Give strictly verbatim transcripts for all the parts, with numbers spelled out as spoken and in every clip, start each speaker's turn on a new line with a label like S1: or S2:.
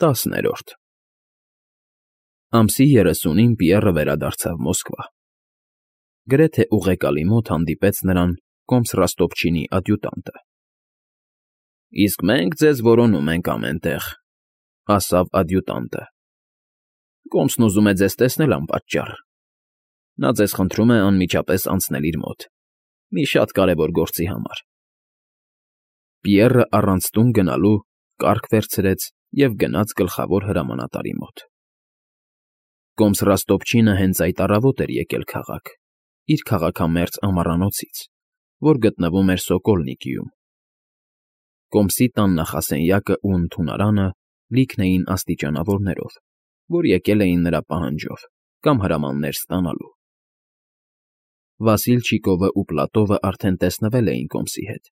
S1: ՏԱՍՆԵՐՈՐԴ Ամսի երեսունին Պիեռը վերադարձավ Մոսկվա։ Գրեթե ուղեկալի մոտ հանդիպեց նրան կոմս Ռոստոպչինի ադյուտանտը։ ֊ Իսկ մենք ձեզ որոնում ենք ամեն տեղ,֊ ասավ ադյուտանտը։ ֊ Կոմսն ուզում է ձեզ տեսնել անպատճառ. նա ձեզ խնդրում է անմիջապես անցնել իր մոտ մի շատ կարևոր գործի համար։ Պիեռը առանց տուն գնալու կառք վերցրեց և գնաց գլխավոր հրամանատարի մոտ։ Կոմս Ռոստոպչինը հենց այդ առավոտ էր եկել քաղաք, իր քաղաքամերձ ամառանոցից, որ գտնվում էր Սոկոլնիկիում։ Կոմսի տան նախասենյակն ու ընդունարանը լիքն էին աստիճանավորներով, որ եկել էին նրա պահանջով կամ հրամաններ ստանալու։ Վասիլչիկովն ու Պլատովն արդեն տեսնվել էին Կոմսի հետ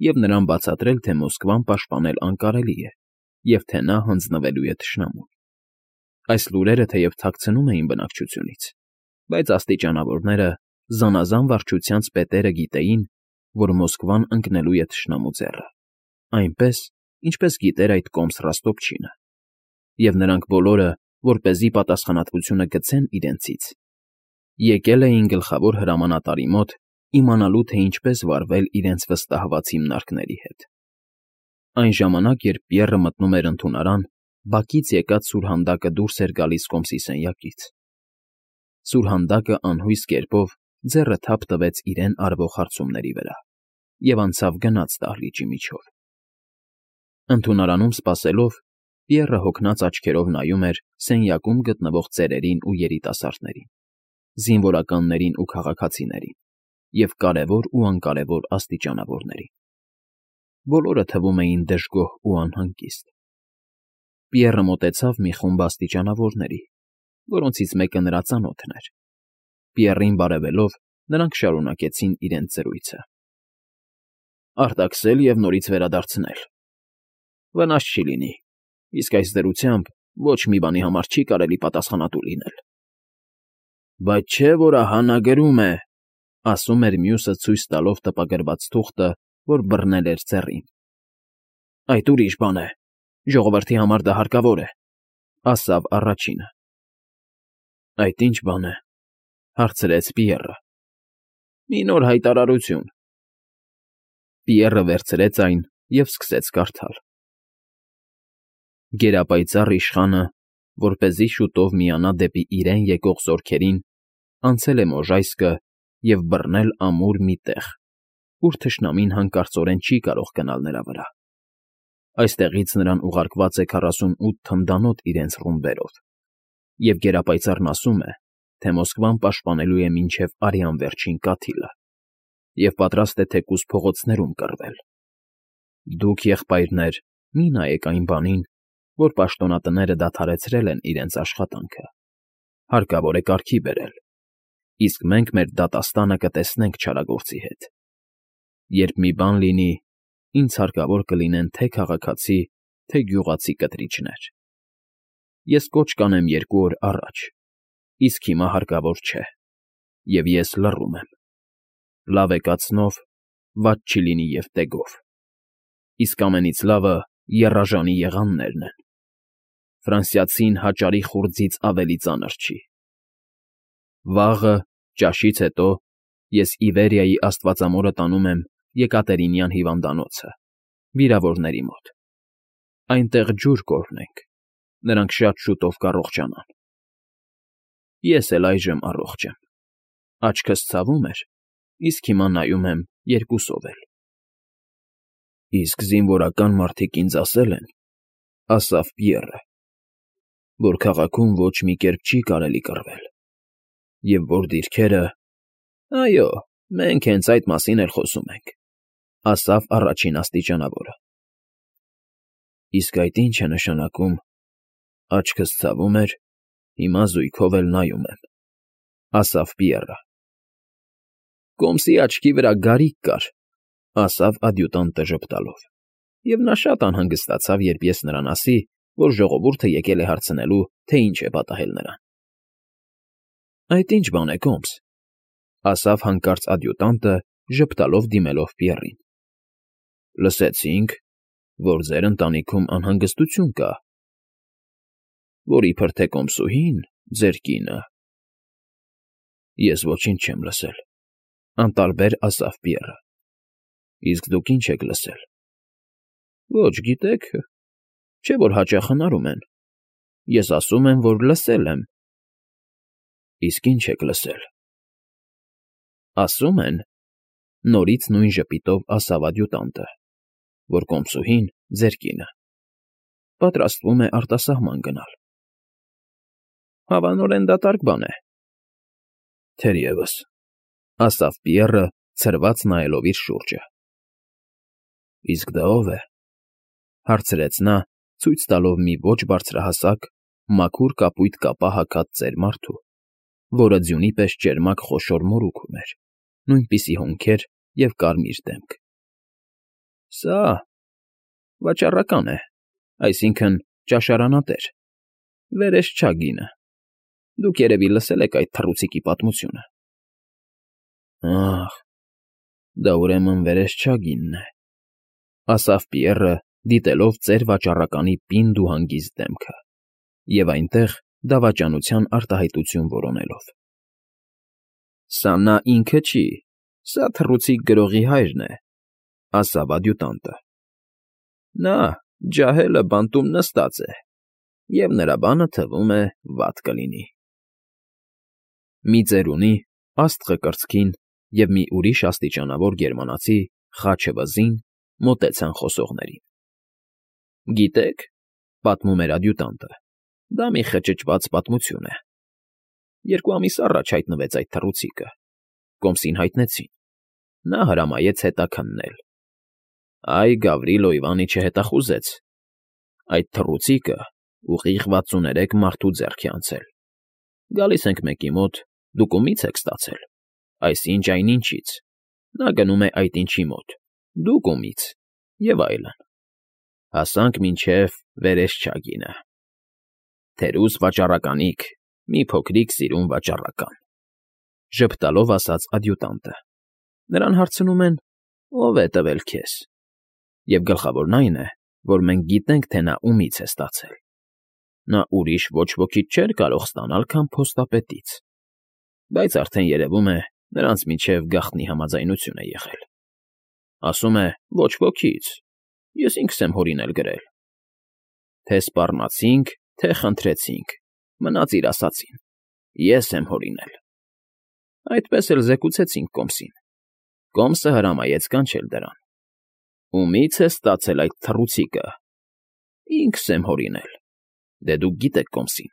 S1: և նրան բացատրել, թե Մոսկվան պաշտպանել անկարելի է և թե նա հանձնվելու է թշնամուն։ Այս լուրերը թեև թաքցնում էին բնակչությունից, բայց աստիճանավորները, զանազան վարչությանց պետերը գիտեին, որ Մոսկվան ընկնելու է թշնամու ձեռը, այնպես, ինչպես գիտեր այդ կոմս Ռոստոպչինը, և նրանք բոլորը, որպեսզի պատասխանատվությունը գցեն իրենցից, եկել էին գլխավոր հրամանատարի մոտ իմանալու, թե ինչպես վարվել իրենց վստահված հիմնարկների հետ։ Այն ժամանակ, երբ Պիեռը մտնում էր ընդունարան, բակից եկած սուրհանդակը դուրս էր գալիս Կոմսի սենյակից։ Սուրհանդակը անհույս կերպով ձեռը թափ տվեց իրեն արվող հարցումների վրա և անցավ գնաց դահլիճի միջով։ Ընդունարանում սպասելով, Պիեռը հոգնած աչքերով նայում էր սենյակում գտնվող ծերերին ու երիտասարդներին, զինվորականներին ու քաղաքացիներին և կարևոր ու անկարևոր աստիճանավորներին։ Բոլորը թվում էին դժգոհ ու անհանգիստ։ Պիեռը մոտեցավ մի խումբ աստիճանավորների, որոնցից մեկը նրա ծանոթն էր։ Պիեռին բարևելով, նրանք շարունակեցին իրենց զրույցը։ ֊ Արտաքսել և նորից վերադարձնել… Վնաս չի լինի, իսկ այս դրությամբ ոչ մի բանի համար չի կարելի պատասխանատու լինել։ ֊ Բայց չէ՞ որ ահա նա գրում է,֊ ասում էր մյուսը ցույց տալով տպագրված թուղթը, որ բռնել էր ծեռին։ ֊ Այդ ուրիշ բան է, ժողովրդի համար դա հարկավոր է,֊ ասավ առաջինը։ ֊ Այդ ի՞նչ բան է,֊ հարցրեց Պիեռը։ ֊ Մի նոր հայտարարություն։ Պիեռը վերցրեց այն և սկսեց կարդալ. Գերապայծառ իշխանը, որպեսզի շուտով միանա դեպի իրեն եկող զորքերին, անցել է Մոժայսկը և բռնել ամուր մի տեղ, ուր թշնամին հանկարծորեն չի կարող գնալ նրա վրա։ Այստեղից նրան ուղարկված է քառասունութ թնդանոթ իրենց ռումբերով, և գերապայծառն ասում է, թե Մոսկվան պաշտպանելու է մինչև արյան վերջին կաթիլը և պատրաստ է թեկուզ փողոցներում կռվել։ Դուք, եղբայրներ, մի նայեք այն բանին, որ պաշտոնատները դադարեցրել են իրենց աշխատանքը, հարկավոր է կարգի բերել, իսկ մենք մեր դատաստանը կտեսնենք չարագործի հետ։ Երբ մի բան լինի, ինձ հարկավոր կլինեն թե քաղաքացի, թե գյուղացի կտրիչներ։ Ես կոչ կանեմ երկու օր առաջ, իսկ հիմա հարկավոր չէ, և ես լռում եմ։ Լավ է կացնով, վատ չի լինի և տեգով։ Իսկ ամենից լավը եռաժանի եղաններն են։ Ֆրանսիացին հաճարի խուրձից ավելի ծանր չի։ Վաղը, ճաշից հետո, ես Իվերիայի աստվածամորը տանում եմ Եկատերինյան հիվանդանոցը, վիրավորների մոտ։ Այնտեղ ջուր կօրհնենք, նրանք շատ շուտով կառողջանան։ Ես էլ այժմ առողջ եմ, աչքս ցավում էր, իսկ հիմա նայում եմ երկուսով էլ։ ֊ Իսկ զինվորական մարդիկ ինձ ասել են,֊ ասավ Պիեռը,֊ որ քաղաքում ոչ մի կերպ չի կարելի կռվել, և որ դիրքերը… ֊ Այո, մենք հենց այդ մասին էլ խոսում ենք,֊ ասավ առաջին աստիճանավորը։ ֊ Իսկ այդ ի՞նչ է նշանակում, աչքս ցավում էր, հիմա զույգով էլ նայում եմ,֊ ասավ Պիեռը։ ֊ Կոմսի աչքի վրա գարիկ կար,֊ ասավ ադյուտանտը ժպտալով, և նա շատ անհանգստացավ, երբ ես նրան ասի, որ ժողովուրդը եկել է հարցնելու, թե ինչ է պատահել նրան։ ֊ Այդ ի՞նչ բան է, կոմս,֊ ասավ հանկարծ ադյուտանտը, ժպտալով դիմելով Պիեռին։ ֊ Լսեցինք, որ ձեր ընտանիքում անհանգստություն կա, որ իբր թե կոմսուհին, ձեր կինը։ Ես ոչինչ չեմ լսել, անտարբեր ասավ Պիեռը։ Իսկ դուք ինչ եք լսել։ Ոչ, գիտեք, չէ՞ որ հաճախ հնարում են։ Ես ասում եմ, որ լսել եմ։ Իսկ ինչ եք լսել։ Ասում են, նորից նույն ժպիտով ասավ ադյուտանտը, որ կոմսուհին, ձեր կինը, պատրաստվում է արտասահման գնալ։ Հավանորեն դատարկ բան է։ Թերևս, ասավ Պիեռը, ցրված նայելով իր շուրջը։ Իսկ դա ո՞վ է, հարցրեց նա, ցույց տալով մի ոչ բարձրահասակ, մաքուր կապույտ կապա հագած ծեր մարդու, որը ձյունի պես ճերմակ խոշոր մորուք ուներ, նույնպիսի հոնքեր և կարմիր դեմք։ Սա վաճառական է, այսինքն՝ ճաշարանատեր, վերեսչագինը։ Դուք երևի լսել եք այդ թռուցիկի պատմությունը։ Ահ, դա ուրեմն վերեսչագինն է, ասավ Պիեռը, դիտելով ծեր վաճառականի պինդ ու հանգիստ դեմքը, և այնտեղ դավաճանության արտահայտություն որոնելով։ Սա նա ինքը չի, սա թռուցիկ գրողի հայրն է, ասավ ադյուտանտը։ Նա ջահելը բանտում նստած է, և նրա բանը, թվում է, վատ կլինի։ Մի ծերունի, աստղը կրծքին և մի ուրիշ աստիճանավոր գերմանացի, խաչը վզին, մոտեցան խոսողներին։ Գիտեք, պատմում էր ադյուտանտը, դա մի խճճված պատմություն է։ Երկու ամիս առաջ հայտնվեց այդ թռուցիկը, կոմսին հայտնեցին, նա հրամայեց հետաքննել։ Այ Գավրիլո Իվանիչը հետախուզեց։ Այդ թռուցիկը ուղիղ վաթսուներեք մարդու ձեռք է անցել։ Գալիս ենք մեկի մոտ, դուք ումի՞ց եք ստացել, այսինչ այնինչից, նա գնում է այդ ինչի մոտ, դուք ումի՞ց, և այլն։ Հասանք մինչև վերեսչագինը։ Թերուս վաճառականիք, մի փոքրիկ սիրուն վաճառական, ժպտալով ասաց ադյուտանտը։ Նրան հարցնում են. ով է տվել քեզ։ Եվ գլխավորն այն է, որ մենք գիտենք, թե նա ումից է ստացել։ Նա ուրիշ ոչ ոքից չէր կարող ստանալ, քան փոստապետից։ Բայց արդեն երևում է, նրանց միջև գաղտնի համաձայնություն է եղել։ Ասում է, ոչ ոքից, ես ինքս եմ հորինել գրել։ Թե սպառնացինք, թե խնդրեցինք, մնաց իր ասածին, ես եմ հորինել։ Այդպես էլ զեկուցեցինք կոմսին։ Կոմսը հրամայեց կանչել դրան։ Ումի՞ց է ստացել այդ թռուցիկը։ Ինքս եմ հորինել։ Դե դուք գիտեք կոմսին։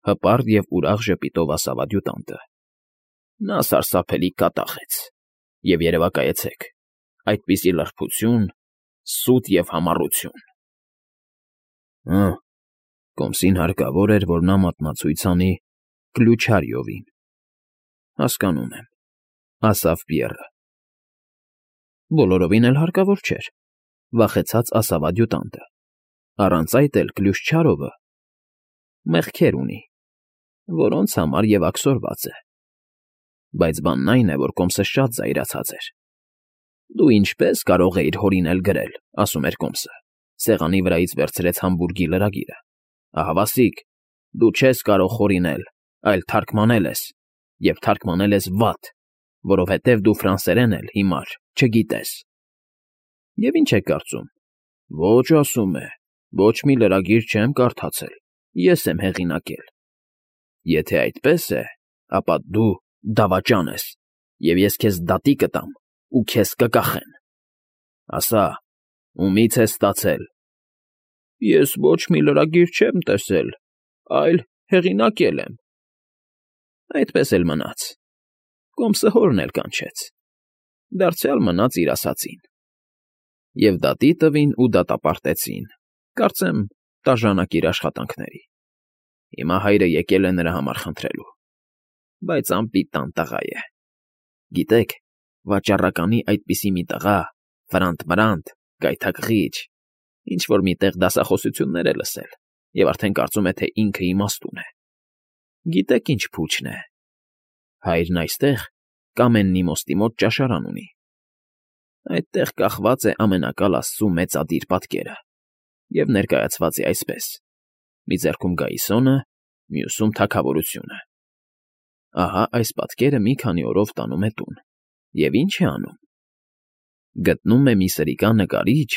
S1: Հպարտ և ուրախ ժպիտով ասավ ադյուտանտը։ Նա սարսափելի կատաղեց։ Եվ երևակայեցեք, այդպիսի լրբություն, սուտ և համառություն։ Հը, կոմսին հարկավոր էր, որ նա մատնացույց անի Կլյուչարյովին։ Հասկանում եմ, ասավ Պիեռը։ Բոլորովին էլ հարկավոր չէր, վախեցած ասավ ադյուտանտը։ Առանց այդ էլ Կլյուշչարովը մեղքեր ունի, որոնց համար և աքսորված է։ Բայց բանն այն է, որ կոմսը շատ զայրացած էր։ Դու ինչպե՞ս կարող էիր հորինել գրել, ասում էր կոմսը, սեղանի վրայից վերցրեց համբուրգի լրագիրը։ Ահավասիկ, դու չես կարող հորինել, այլ թարգմանել ես, և թարգմանել ես վատ, որովհետև դու ֆրանսերեն էլ հիմար չգիտես։ Եվ ինչ եք կարծում։ Ոչ, ասում է, ոչ մի լրագիր չեմ կարդացել, ես եմ հեղինակել։ Եթե այդպես է, ապա դու դավաճան ես, և ես քեզ դատի կտամ ու քեզ կկախեն։ Ասա, ումի՞ց ես ստացել։ Ես ոչ մի լրագիր չեմ տեսել, այլ հեղինակել եմ։ Այդպես էլ մնաց։ Կոմսը հորն էլ կանչեց։ Դարձյալ մնաց իր ասածին։ Եվ դատի տվին ու դատապարտեցին, կարծեմ, տաժանակ իր աշխատանքների։ Հիմա հայրը եկել է նրա համար խնդրելու։ Բայց անպիտան տղա է։ Գիտեք, վաճառականի այդպիսի մի տղա, ֆրանտ֊մրանտ, գայթակղիչ, ինչ֊որ մի տեղ դասախոսություններ է լսել և արդեն կարծում է, թե ինքը իմաստուն է։ Գիտեք ինչ փուչն է։ Հայրն այստեղ Կամեննի մոստի մոտ ճաշարան ունի։ Այդտեղ կախված է Ամենակալ Աստծու մեծադիր պատկերը և ներկայացված է այսպես. մի ձեռքում գայիսոնը, մյուսում թագավորությունը։ Ահա այս պատկերը մի քանի օրով տանում է տուն, և ի՞նչ է անում. գտնում է մի սրիկա նկարիչ,